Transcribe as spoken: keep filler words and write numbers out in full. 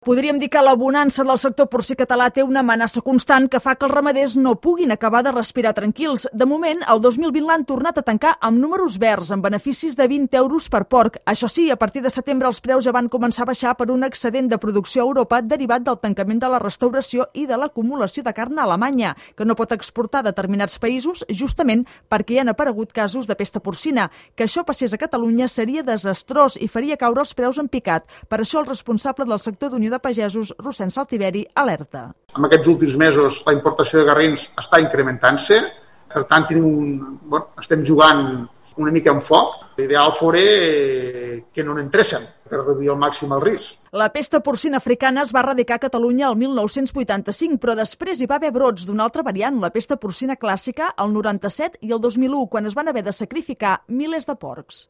Podríem dir que la bonança del sector porcí català té una amenaça constant que fa que els ramaders no puguin acabar de respirar tranquils. De moment, el dos mil vint l'han tornat a tancar amb números verds, amb beneficis de vint euros per porc. Això sí, a partir de setembre els preus ja van començar a baixar per un excedent de producció a Europa derivat del tancament de la restauració i de l'acumulació de carn a Alemanya, que no pot exportar a determinats països justament perquè hi han aparegut casos de pesta porcina. Que això passés a Catalunya seria desastrós i faria caure els preus en picat. Per això el responsable del sector d'Unió de Pagesos, Rossend Saltiveri, alerta. En aquests últims mesos la importació de garrins està incrementant-se, per tant tenim un, bueno, estem jugant una mica amb foc. L'ideal fora que no n'entressin per reduir al màxim el risc. La pesta porcina africana es va erradicar a Catalunya el mil nou-cents vuitanta-cinc, però després hi va haver brots d'una altra variant, la pesta porcina clàssica, el noranta-set i el dos mil u, quan es van haver de sacrificar milers de porcs.